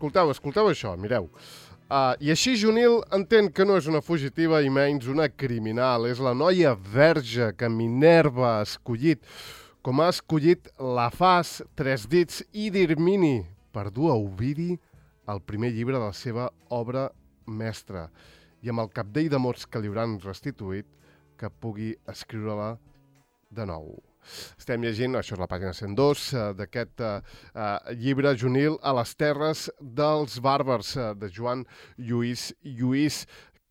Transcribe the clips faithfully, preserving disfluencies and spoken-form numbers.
escolteu, escolteu això, mireu. Uh, I així Junil entén que no és una fugitiva i menys una criminal. És la noia verge que Minerva ha escollit, com ha escollit la Fas, Tres Dits i Dirmini per dur a Ovidi el primer llibre de la seva obra mestra i amb el capdell de mots que li hauran restituït que pugui escriure-la de nou. Estem llegint, això és la pàgina cent dos, uh, d'aquest uh, uh, llibre Junil a les terres dels bàrbars, uh, de Joan Lluís Lluís,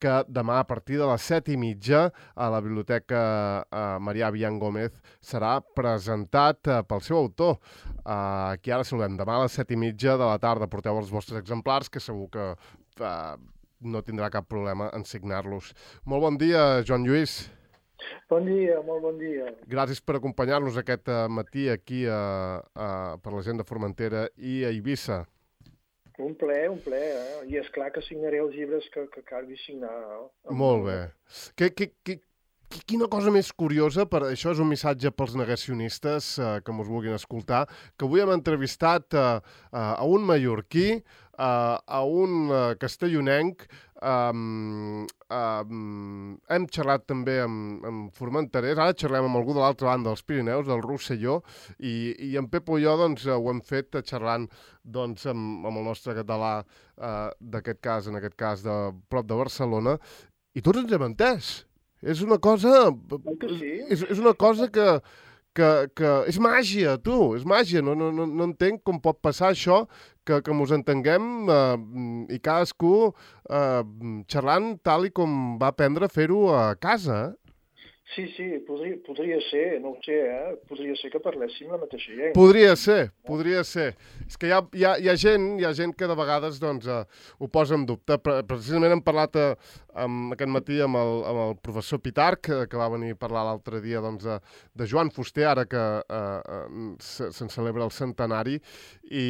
que demà a partir de les set i mitja a la Biblioteca uh, Marià Bian Gómez serà presentat uh, pel seu autor. Uh, aquí ara saludem. Demà a les set i mitja de la tarda porteu els vostres exemplars, que segur que uh, no tindrà cap problema en signar-los. Molt bon dia, Joan Lluís. Bon dia, molt bon dia. Gràcies per acompanyar-nos aquest matí aquí a, a, per la gent de Formentera i a Eivissa. Un ple, un ple, eh? I és clar que signaré els llibres que, que calgui signar. Eh? Molt bé. Que, que, que, quina cosa més curiosa, per això és un missatge pels negacionistes eh, que mos vulguin escoltar, que avui hem entrevistat eh, a un mallorquí, eh, a un eh, castellonenc, Um, um, hem xerrat també amb, amb formenterers, ara xerrem amb algú de l'altra banda dels Pirineus, del Rosselló, i, i en Pepo i jo doncs, ho hem fet xerrant doncs, amb, amb el nostre català uh, d'aquest cas, en aquest cas de prop de Barcelona, i tots ens hem entès. És una cosa... Sí. És, és una cosa que... Que, que és màgia, tu, és màgia, no, no, no entenc com pot passar això, que, que mos entenguem eh, i cadascú eh, xerrant tal i com va aprendre a fer-ho a casa. Sí, sí, podria, podria ser, no ho sé, eh? Podria ser que parléssim la mateixa llengua. Podria ser, podria ser. És que hi ha, hi ha, hi ha, gent, hi ha gent que de vegades doncs, eh, ho posa en dubte. Precisament hem parlat eh, amb, aquest matí amb el, amb el professor Pitarch, que, que va venir a parlar l'altre dia doncs, de, de Joan Fuster, ara que eh, se'n se celebra el centenari, i,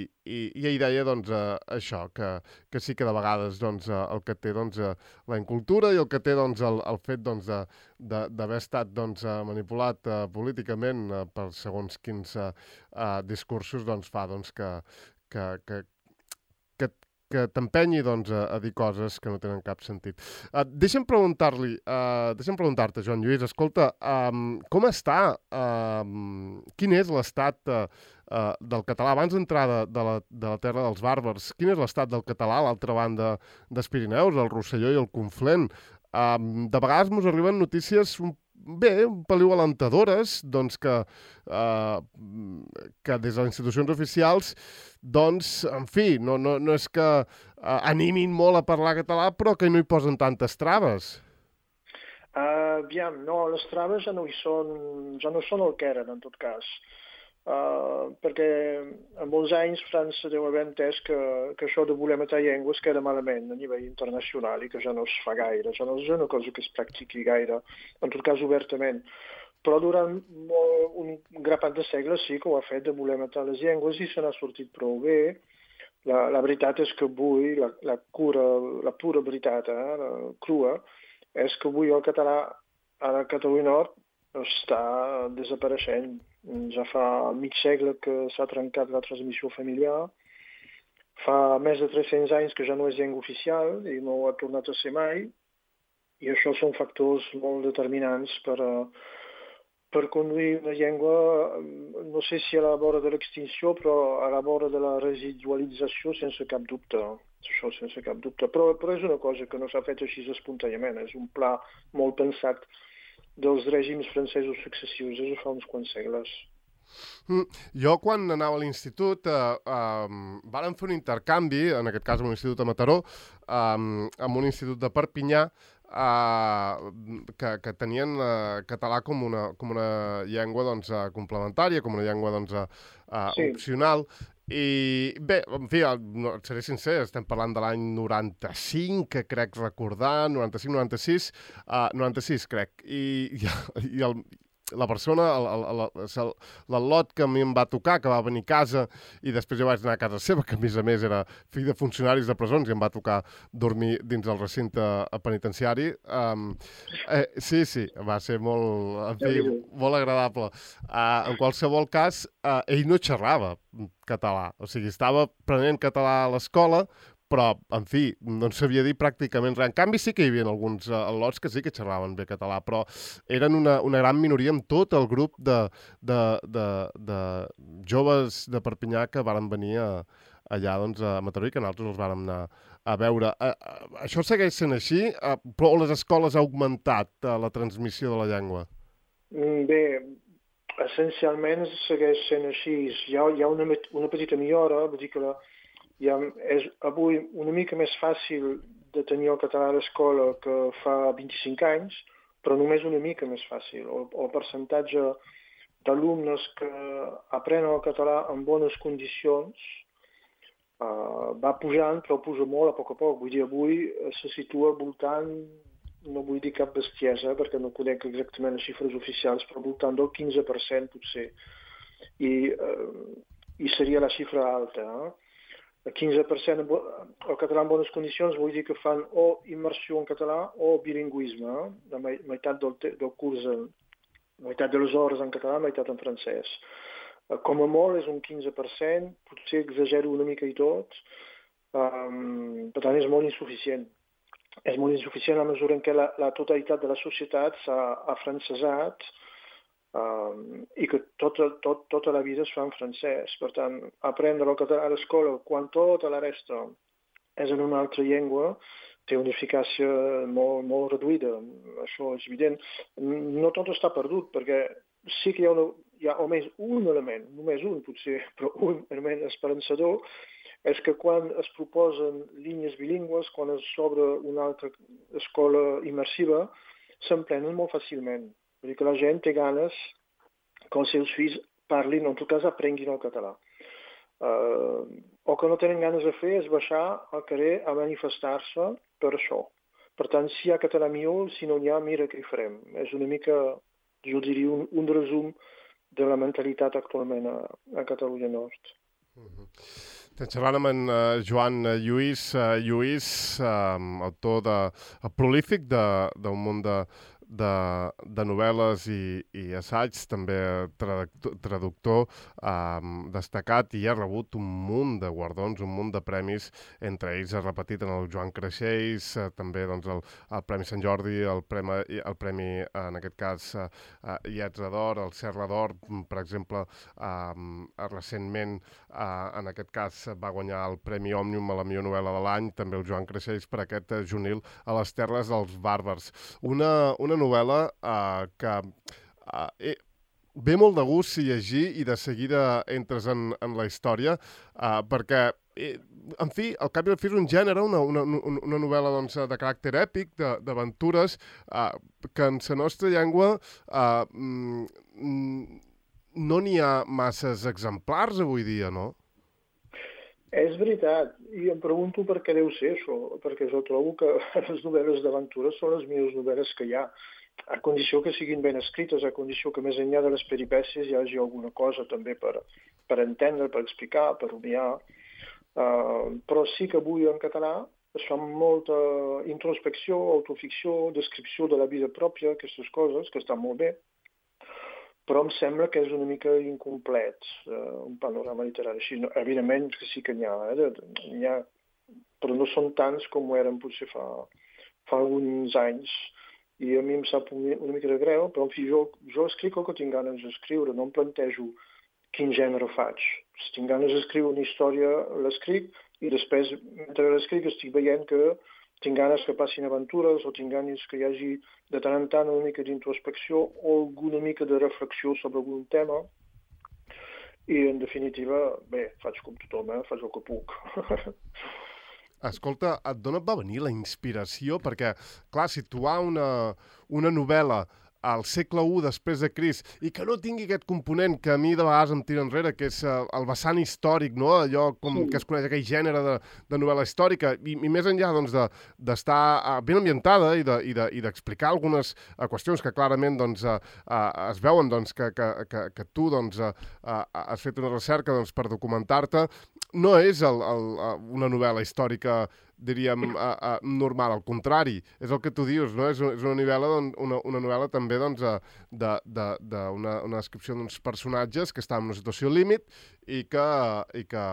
i, i ell deia doncs, eh, això, que, que sí que de vegades doncs, eh, el que té doncs, eh, la incultura i el que té doncs, el, el fet doncs, de d'haver estat doncs, manipulat uh, políticament uh, per segons quins uh, uh, discursos doncs, fa doncs, que, que, que, que, que t'empenyi doncs, a, a dir coses que no tenen cap sentit. Uh, deixa'm preguntar-li, uh, deixa'm preguntar-te, Joan Lluís, escolta, um, com està, um, quin és l'estat uh, uh, del català, abans d'entrar de, de, la, de la terra dels bàrbars, quin és l'estat del català a l'altra banda dels Pirineus, el Rosselló i el Conflent? Um, de vegades ens arriben notícies un, bé, un peliu alentadores, doncs que, uh, que des de les institucions oficials, doncs, en fi, no, no, no és que uh, animin molt a parlar català, però que no hi posen tantes traves. Uh, aviam, no, les traves ja no hi són, ja no són el que eren, en tot cas. Uh, perquè en molts anys França deu haver entès que, que això de voler matar llengües queda malament a nivell internacional i que ja no es fa gaire, ja no és una cosa que es practiqui gaire, en tot cas obertament. Però durant molt, un grapat de segles sí que ho ha fet de voler matar les llengües i se n'ha sortit prou bé. La, la veritat és que avui, la, la, cura, la pura veritat, eh, la crua, és que avui el català a la Catalunya Nord està desapareixent. Ja fa mig segle que s'ha trencat la transmissió familiar, fa més de tres-cents anys que ja no és llengua oficial i no ha tornat a ser mai, i això són factors molt determinants per, per conduir una llengua, no sé si a la vora de l'extinció, però a la vora de la residualització sense cap dubte. Això sense cap dubte. Però, però és una cosa que no s'ha fet així espontàniament, és un pla molt pensat dels règims francesos successius, és fa uns quants segles. Mm. Jo, quan anava a l'institut, eh, eh, vàrem fer un intercanvi, en aquest cas amb un institut a Mataró, eh, amb un institut de Perpinyà, eh, que, que tenien eh, català com una, com una llengua doncs, eh, complementària, com una llengua doncs, eh, Sí. opcional. I bé, en fi, no, et seré sincer, estem parlant de l'any noranta-cinc, que crec recordar, noranta-cinc noranta-sis, uh, noranta-sis crec, i, i, i el... la persona, l'al·lot que a mi em va tocar, que va venir a casa i després jo vaig anar a casa seva, que a més a més era fill de funcionaris de presons i em va tocar dormir dins del recinte penitenciari. Um, eh, sí, sí, va ser molt, en fi, molt agradable. Uh, en qualsevol cas, uh, ell no xerrava català, o sigui, estava aprenent català a l'escola, però, en fi, no en sabia dir pràcticament res. En canvi, sí que hi havia alguns uh, al·lots que sí que xerraven bé català, però eren una, una gran minoria amb tot el grup de, de, de, de joves de Perpinyà que varen venir a, allà doncs, a Mataró i que nosaltres els vàrem anar a veure. Uh, uh, això segueix sent així, uh, però les escoles ha augmentat uh, la transmissió de la llengua? Bé, essencialment segueix sent així. Hi ha, hi ha una, una petita millora, vull dir que la, ja és avui una mica més fàcil de tenir el català a l'escola que fa vint-i-cinc anys, però només una mica més fàcil. El, el percentatge d'alumnes que aprenen el català en bones condicions uh, va pujant, però puja molt a poc a poc. Vull dir, avui se situa al voltant, no vull dir cap bestiesa, perquè no conec exactament les xifres oficials, però al voltant del quinze per cent potser. I, uh, i seria la xifra alta, eh? El quinze per cent el català en bones condicions vull dir que fan o immersió en català o bilingüisme. Eh? La meitat del, del curs, la meitat de les hores en català, la meitat en francès. Com a molt és un quinze per cent, potser exagero una mica i tot, um, per tant és molt insuficient. És molt insuficient a mesura en què la, la totalitat de la societat s'ha afrancesat, Um, i que tota, tot, tota la vida es fa en francès. Per tant, aprendre el català a l'escola quan tota la resta és en una altra llengua té una eficàcia molt, molt reduïda. Això és evident. No tot està perdut, perquè sí que hi ha, una, hi ha almenys un element, només un potser, però un element esperançador, és que quan es proposen línies bilingües, quan es obre una altra escola immersiva, s'emprenen molt fàcilment. Vull dir que la gent té ganes que els seus fills parlin, o en tot cas aprenguin el català. Uh, o que no tenen ganes de fer és baixar al carrer a manifestar-se per això. Per tant, si hi ha català millor, si no n'hi ha, mira què hi farem. És una mica, jo diria, un, un resum de la mentalitat actualment a, a Catalunya Nord. Uh-huh. Estem xerrant amb en uh, Joan Lluís, uh, Lluís, uh, autor de, uh, prolífic d'un munt de, de, de novel·les i, i assaigs, també traductor, traductor um, destacat, i ha rebut un munt de guardons, un munt de premis, entre ells ha repetit en el Joan Creixells, uh, també doncs, el, el Premi Sant Jordi, el Premi, el premi en aquest cas, uh, uh, Ietza d'Or, el Serra d'Or, per exemple, um, recentment, uh, en aquest cas, va guanyar el Premi Òmnium a la millor novel·la de l'any, també el Joan Creixells, per aquest uh, Junil a les terres dels bàrbars. Una, una novel·la uh, que uh, eh, ve molt de gust llegir i de seguida entres en, en la història, uh, perquè, eh, en fi, al cap i al fi és un gènere, una, una, una novel·la doncs, de caràcter èpic, d'aventures, uh, que en la nostra llengua uh, mm, no n'hi ha masses exemplars avui dia, no? És veritat, i em pregunto per què deu ser això, perquè jo trobo que les novel·les d'aventures són les millors novel·les que hi ha, a condició que siguin ben escrites, a condició que més enllà de les peripècies hi hagi alguna cosa també per, per entendre, per explicar, per rumiar. Uh, però sí que avui en català es fa molta introspecció, autoficció, descripció de la vida pròpia, aquestes coses, que estan molt bé, però em sembla que és una mica incomplet, uh, un panorama literari així. No, evidentment que sí que n'hi ha, eh? N'hi ha, però no són tants com ho eren potser fa, fa alguns anys. I a mi em sap una mica de greu, però en fi, jo, jo escric el que tinc ganes d'escriure, no em plantejo quin gènere faig. Si tinc ganes d'escriure una història, l'escric, i després, mentre l'escric, estic veient que tinc ganes que passin aventures, o tinc ganes que hi hagi de tant en tant una mica d'introspecció o alguna mica de reflexió sobre algun tema. I, en definitiva, bé, faig com tothom, eh? Faig el que puc. Escolta, d'on et va venir la inspiració? Perquè, clar, situar una, una novel·la al segle u després de Crist, i que no tingui aquest component que a mi de vegades em tira enrere, que és uh, el vessant històric, no? Allò com sí. que es coneix aquell gènere de, de novel·la històrica, i, i més enllà doncs, d'estar de, uh, ben ambientada i d'explicar de, i de, i algunes uh, qüestions que clarament doncs, uh, uh, es veuen doncs, que, que, que, que tu doncs, uh, uh, has fet una recerca doncs, per documentar-te, no és el, el, una novel·la històrica, diríem, uh, uh, normal, al contrari, és el que tu dius, no? És, és una novel·la, doncs, una, una novel·la també doncs, d'una de, de, una, una descripció d'uns personatges que estan en una situació límit i que, i que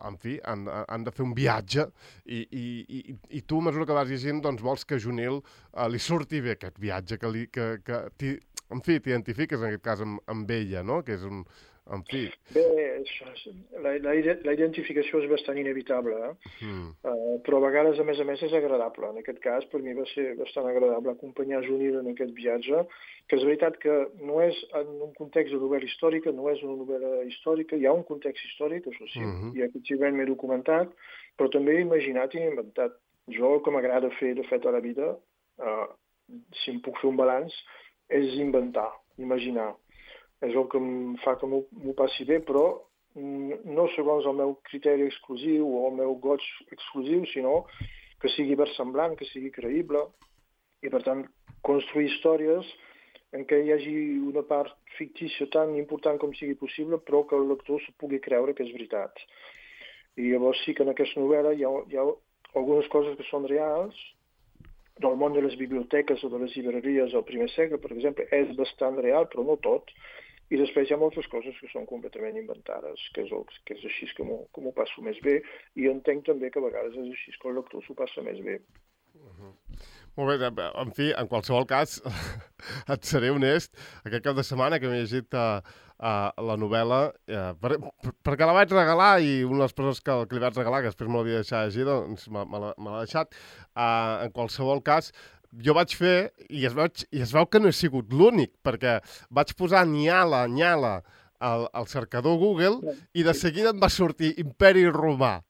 en fi, han, han de fer un viatge i, i, i, i tu, a mesura que vas llegint, doncs, vols que a Junil uh, li surti bé aquest viatge, que, li, que, que en fi, t'identifiques en aquest cas amb, amb ella, no? Que és un... En fi. Bé, la, la, la identificació és bastant inevitable, eh? Mm. Uh, però a vegades, a més a més, és agradable. En aquest cas, per mi va ser bastant agradable acompanyar Junil en aquest viatge, que és veritat que no és en un context de novel·la històrica, no és una novel·la històrica, hi ha un context històric, això sí, mm -hmm. i efectivament m'he documentat, però també he imaginat i he inventat. Jo, el que m'agrada fer, de fet, a la vida, uh, si em puc fer un balanç, és inventar, imaginar. És el que em fa que m'ho passi bé, però no segons el meu criteri exclusiu o el meu goig exclusiu, sinó que sigui versemblant, que sigui creïble, i per tant construir històries en què hi hagi una part fictícia tan important com sigui possible, però que el lector s'ho pugui creure que és veritat. I llavors sí que en aquesta novel·la hi ha, hi ha algunes coses que són reals, del món de les biblioteques o de les llibreries al primer segle, per exemple, és bastant real, però no tot. I després hi ha moltes coses que són completament inventades, que és, el, que és així que m'ho passo més bé, i entenc també que a vegades és així que el lector s'ho passa més bé. Uh-huh. Molt bé, en fi, en qualsevol cas, et seré honest, aquest cap de setmana que m'he llegit uh, uh, la novel·la, uh, per, per, perquè la vaig regalar i una de les persones que, que li vaig regalar, que després me l'havia deixat llegir, doncs me, me l'ha deixat, uh, en qualsevol cas, jo vaig fer, i es, veu, i es veu que no he sigut l'únic, perquè vaig posar Nyala, Nyala al, al cercador Google i de seguida em va sortir Imperi Romà,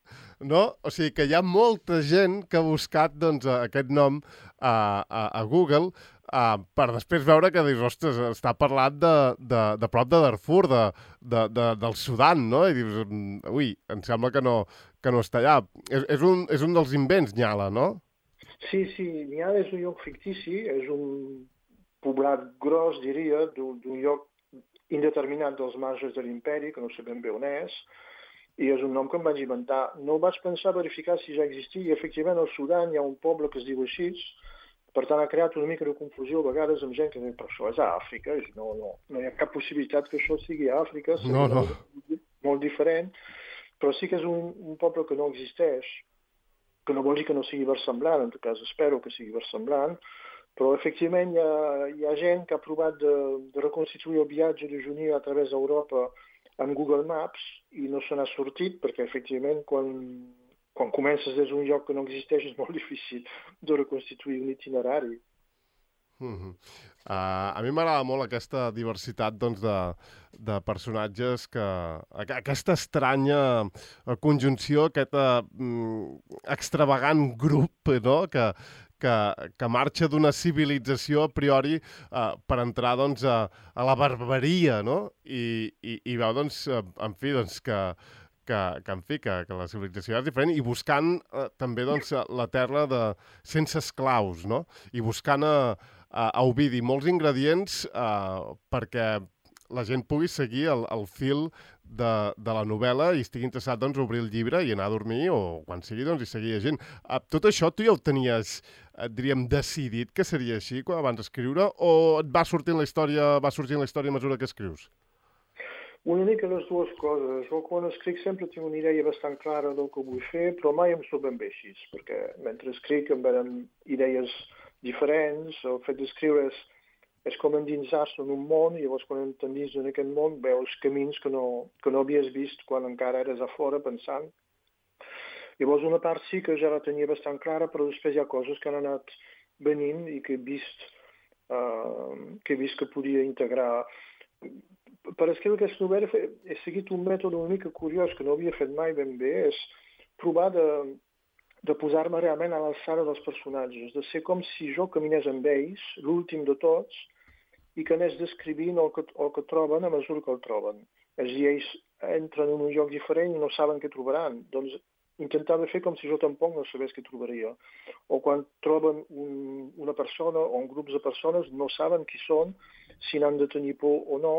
no? O sigui que hi ha molta gent que ha buscat doncs, aquest nom a, a, a Google uh, per després veure que dius, ostres, està parlant de, de, de prop de Darfur, de, de, de, del Sudan, no? I dius, ui, em sembla que no, que no està allà. És, és, un, és un dels invents, Nyala, no? Sí, sí, Nyala és un lloc fictici, és un poblat gros, diria, d'un lloc indeterminat dels marges de l'imperi, que no sé ben bé on és, i és un nom que em vaig inventar. No vaig pensar verificar si ja existia, i efectivament al Sudan hi ha un poble que es diu així, per tant ha creat una mica de confusió a vegades amb gent que diu, però això és a Àfrica, no, no, no hi ha cap possibilitat que això sigui a Àfrica, no, no. Molt diferent, però sí que és un, un poble que no existeix, que no vol dir que no sigui versemblant, en tot cas espero que sigui versemblant, però efectivament hi ha, hi ha gent que ha provat de, de reconstituir el viatge de Junil a través d'Europa amb Google Maps i no se n'ha sortit perquè efectivament quan, quan comences des d'un lloc que no existeix és molt difícil de reconstituir un itinerari. Mm-hmm. Uh, a mi m'agrada molt aquesta diversitat doncs, de, de personatges, que aquesta estranya conjunció, aquest uh, extravagant grup, no? que, que, que marxa d'una civilització a priori uh, per entrar doncs, a, a la barbaria, no? I, i, i veu, doncs, en fi, doncs, que, que, que, en fi, que, que la civilització és diferent i buscant uh, també doncs, la terra de, sense esclaus, no? I buscant a, a, a Ovidi molts ingredients uh, perquè la gent pugui seguir el, el fil de, de la novel·la i estigui interessat doncs, a obrir el llibre i anar a dormir o quan sigui doncs, hi seguir llegint. Uh, tot això tu ja ho tenies, uh, diríem, decidit que seria així quan abans d'escriure o et va sortint la història, va sorgint la història a mesura que escrius? Una mica les dues coses. Jo quan escric sempre tinc una idea bastant clara del que vull fer, però mai em surt ben bé així, perquè mentre escric em venen idees diferents, el fet d'escriure és, és com endinsar-se en un món i llavors quan t'endins en aquest món veus camins que no, que no havies vist quan encara eres a fora pensant. Llavors una part sí que ja la tenia bastant clara, però després hi ha coses que han anat venint i que he vist, uh, que he vist que podia integrar. Per escriure aquesta novel·la he seguit un mètode una mica curiós que no havia fet mai ben bé, és provar de, de posar-me realment a l'alçada dels personatges, de ser com si jo caminés amb ells, l'últim de tots, i que anés descrivint el que, el que troben a mesura que el troben. És a dir, ells entren en un lloc diferent i no saben què trobaran. Doncs intentava fer com si jo tampoc no sabés què trobaria. O quan troben un, una persona o un grup de persones no saben qui són, si n'han de tenir por o no.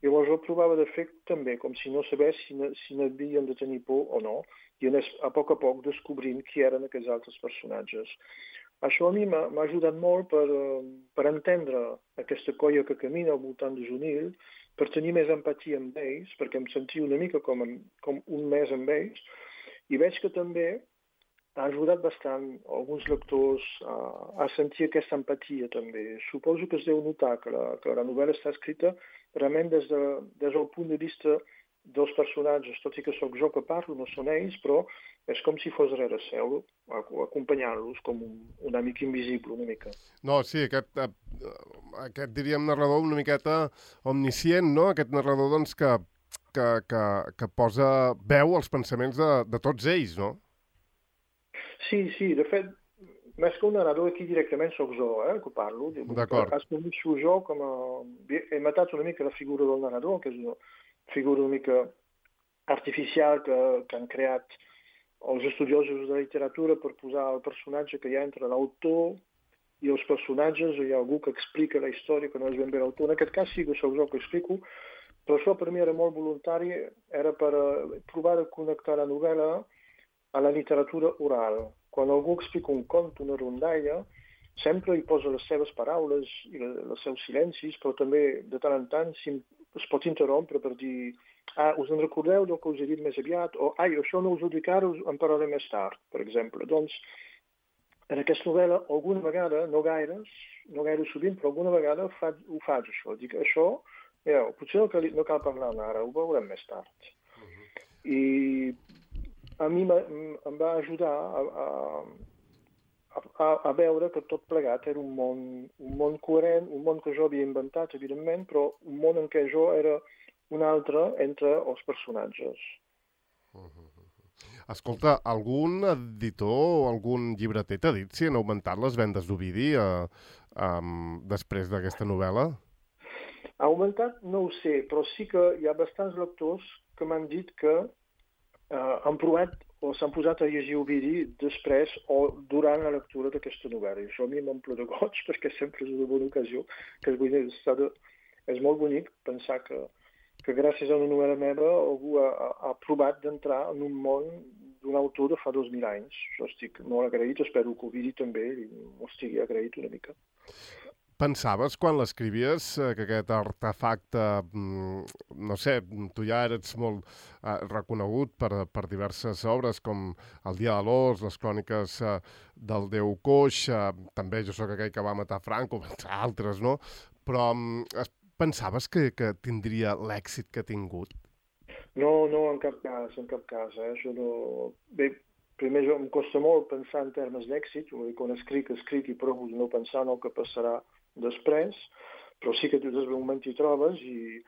Llavors jo provava de fer també, com si no sabés si, si n'havien de tenir por o no, i anés a poc a poc descobrint qui eren aquests altres personatges. Això a mi m'ha ajudat molt per, per entendre aquesta colla que camina al voltant de Junil, per tenir més empatia amb ells, perquè em sentia una mica com, com un mes amb ells, i veig que també ha ajudat bastant alguns lectors a, a sentir aquesta empatia també. Suposo que es deu notar que la, que la novel·la està escrita realment des, de, des del punt de vista dels personatges, tot i que sóc jo que parlo, no són ells, però és com si fos rere seu, acompanyant-los com un, un amic invisible, una mica. No, sí, aquest, aquest diríem, narrador una miqueta omniscient, no? Aquest narrador, doncs, que, que, que, que posa veu als pensaments de, de tots ells, no? Sí, sí, de fet, més que un narrador, aquí directament sóc jo, eh, que parlo. D'acord. Assumeixo jo com a... He matat una mica la figura del narrador, que és una figura una mica artificial que, que han creat els estudiosos de la literatura per posar el personatge que hi ha entre l'autor i els personatges, o hi ha algú que explica la història que no és ben bé l'autor. En aquest cas sí que sóc jo que explico, però això per mi era molt voluntari, era per provar de connectar la novel·la a la literatura oral. Quan algú explica un conte, una rondalla, sempre hi posa les seves paraules i els seus silencis, però també de tant en tant es pot interrompre per dir ah, us en recordeu del que us he dit més aviat? O ai, això no us ho dic ara, en parlaré més tard, per exemple. Doncs, en aquesta novel·la, alguna vegada, no gaires, no gaire sovint, però alguna vegada fa, ho faig, això. Dic, això, ja, potser no cal, no cal parlar ara, ho veurem més tard. Uh-huh. I a mi em va ajudar a, a, a, a veure que tot plegat era un món, un món coherent, un món que jo havia inventat, evidentment, però un món en què jo era un altre entre els personatges. Uh-huh. Escolta, algun editor o algun llibreter t'ha dit si han augmentat les vendes d'Ovidi eh, um, després d'aquesta novel·la? Ha augmentat? No ho sé, però sí que hi ha bastants lectors que m'han dit que eh, han provat o s'han posat a llegir Ovidi després o durant la lectura d'aquesta novel·la. I això a mi m'omple de goig perquè sempre és una bona ocasió, que és, de, és molt bonic pensar que que gràcies a una novel·la meva algú ha, ha provat d'entrar en un món d'un autor de fa dos mil anys. Jo estic molt agraït, espero que Ovidi també m'ho estigui agraït una mica. Pensaves, quan l'escrivies, que aquest artefacte, no sé, tu ja eres molt eh, reconegut per, per diverses obres, com El dia de l'os, les cròniques eh, del déu coix, eh, també Jo sóc aquell que va matar Franco, entre altres, no? Però eh, pensaves que, que tindria l'èxit que ha tingut? No, no, en cap cas, en cap cas. Eh? Això no... Bé, primer jo em costa molt pensar en termes d'èxit, quan escric, escric i provo no pensar en el que passarà després, però sí que tu des d'un moment t'hi trobes i,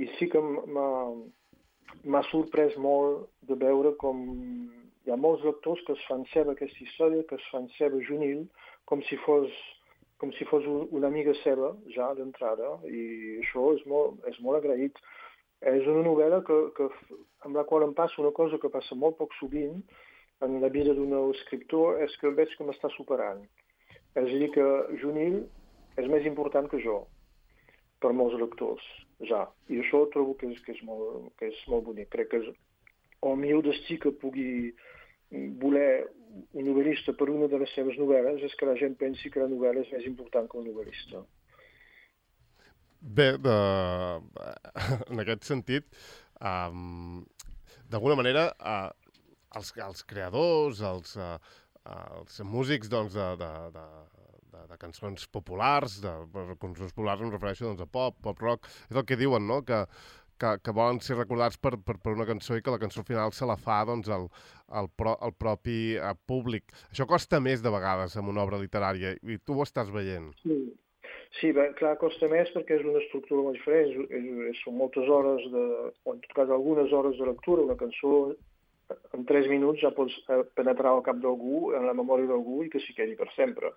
i sí que m'ha sorprès molt de veure com hi ha molts lectors que es fan seva aquesta història, que es fan seva Junil, com si fos com si fos una amiga seva, ja d'entrada, i això és molt, és molt agraït. És una novel·la que, que, amb la qual em passa una cosa que passa molt poc sovint en la vida d'un escriptor, és que veig que m'està superant. És a dir, que Junil és més important que jo, per molts lectors, ja. I això trobo que és, que és, molt, que és molt bonic. Crec que és el millor destí que pugui voler un novel·lista per una de les seves novel·les és que la gent pensi que la novel·la és més important que un novel·lista. Bé, de... en aquest sentit, um, d'alguna manera, uh, els, els creadors, els, uh, els músics doncs, de, de, de, de, de cançons populars, de, de cançons populars em refereixo doncs, a pop, pop rock, és el que diuen, no?, que Que, que volen ser recordats per, per, per una cançó i que la cançó final se la fa doncs, el, el, pro, el propi uh, públic. Això costa més de vegades en una obra literària i tu ho estàs veient. Sí, sí bé, clar, costa més perquè és una estructura molt diferent. És, és, és, són moltes hores, de, o en tot cas algunes hores de lectura. Una cançó en tres minuts ja pots penetrar al cap d'algú, en la memòria d'algú i que s'hi quedi per sempre.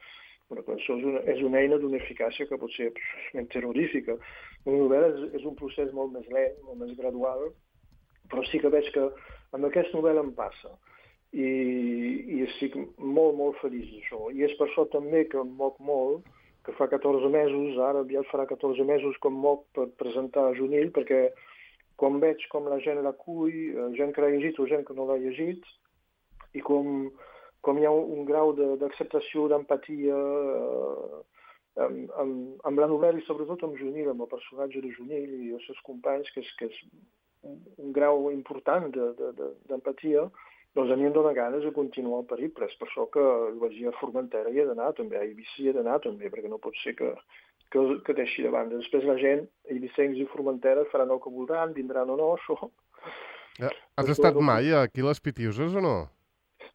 Una cançó és una, és una eina d'una eficàcia que pot ser absolutament terrorífica. Una novel·la és, és un procés molt més lent, molt més gradual, però sí que veig que amb aquesta novel·la em passa. I, i estic molt, molt feliç d'això. I és per això també que em moc molt, que fa catorze mesos, ara aviat farà catorze mesos que em moc per presentar a Junil, perquè quan veig com la gent l'acull, gent que l'ha llegit o gent que no l'ha llegit, i com, com hi ha un grau d'acceptació, d'empatia eh, amb, amb, amb la novel·la i sobretot amb Junil, amb el personatge de Junil i els seus companys, que és, que és un, un grau important d'empatia, de, de, doncs a mi em dóna ganes de continuar el periple. És per això que vaig dir a Formentera hi he d'anar també, a Eivissa hi he d'anar també, perquè no pot ser que, que, que deixi de banda. Després la gent, eivissencs i Formentera, faran el que voldran, vindran o no, això. Ja, has estat mai aquí a les Pitiuses o no?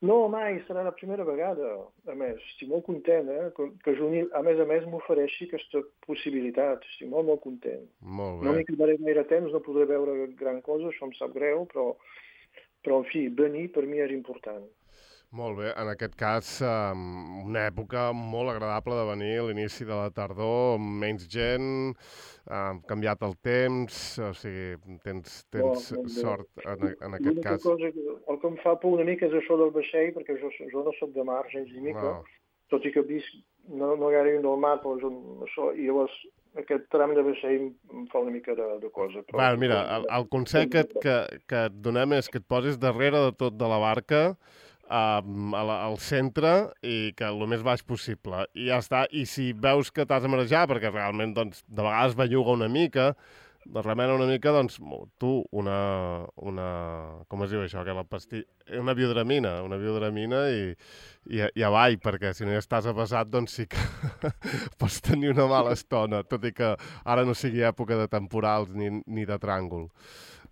No, mai, serà la primera vegada. A més, estic molt content, eh? que, que Junil, a més a més, m'ofereixi aquesta possibilitat. Estic molt, molt content. Molt bé. No m'hi quedaré gaire temps, no podré veure gran cosa, això em sap greu, però... Però, en fi, venir per mi és important. Molt bé. En aquest cas, una època molt agradable de venir, l'inici de la tardor, menys gent, ha canviat el temps, o sigui, tens, tens no, sort en, en aquest cas. Cosa que, el que em fa por una mica és això del vaixell, perquè jo, jo no soc de mar, gens ni mica, no. Tot i que visc, no, no gaire del mar, però jo, això, i llavors aquest tram de vaixell em fa una mica de, de cosa. Però, Va, mira, el, el consell que, que, que et donem és que et posis darrere de tot de la barca, uh, al centre, i que el més baix possible. I ja està. I si veus que t'has de marejar, perquè realment doncs, de vegades belluga una mica, remena una mica, doncs tu una, una com es diu això, que la pastilla, una biodramina, una biodramina i, i, i avall, perquè si no ja estàs avasat, doncs sí que pots tenir una mala estona, tot i que ara no sigui època de temporals ni, ni de tràngol.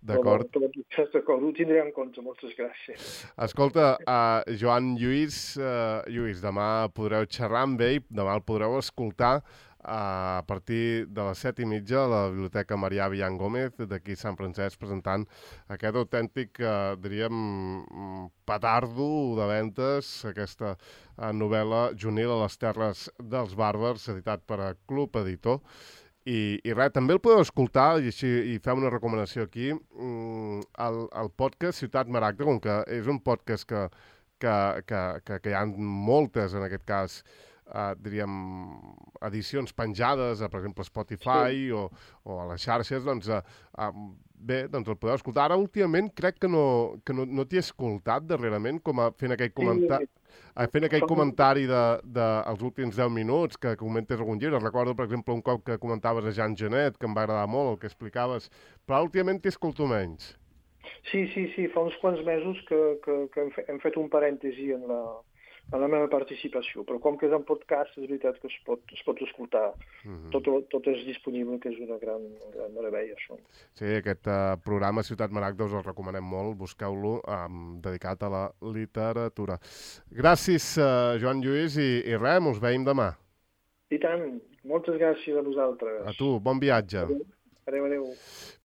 D'acord? D'acord, ho tindré en compte, moltes gràcies. Escolta, uh, Joan Lluís, uh, Lluís, demà podreu xerrar amb ell, demà el podreu escoltar a partir de les set i mitja a la Biblioteca Marià Villan Gómez d'aquí Sant Francesc, presentant aquest autèntic, eh, diríem, petardo de ventes, aquesta eh, novel·la Junil a les terres dels bàrbars, editat per a Club Editor. I, i res, també el podeu escoltar, i així i fem una recomanació aquí, el, el podcast Ciutat Maragda, com que és un podcast que, que, que, que, que hi ha moltes, en aquest cas, Uh, diríem, edicions penjades, a, per exemple, Spotify sí. o, o a les xarxes, doncs, uh, uh, bé, doncs el podeu escoltar. Ara, últimament, crec que no, que no, no t'hi he escoltat darrerament, com a fent aquell, comenta sí. uh, fent aquell comentari dels de, de últims deu minuts, que comentes algun llibre. Recordo, per exemple, un cop que comentaves a Jean Genet, que em va agradar molt el que explicaves, però últimament t'hi escolto menys. Sí, sí, sí, fa uns quants mesos que, que, que hem, fe, hem fet un parèntesi en la... en la meva participació, però com que és en podcast, és veritat que es pot, es pot escoltar. Mm-hmm. tot, tot és disponible, que és una gran, gran meravella, això. Sí, aquest uh, programa Ciutat Maragda us el recomanem molt, busqueu-lo, um, dedicat a la literatura. Gràcies, uh, Joan Lluís, i, i res, ens veiem demà. I tant, moltes gràcies a vosaltres. A tu, bon viatge. Adéu, adéu. adéu.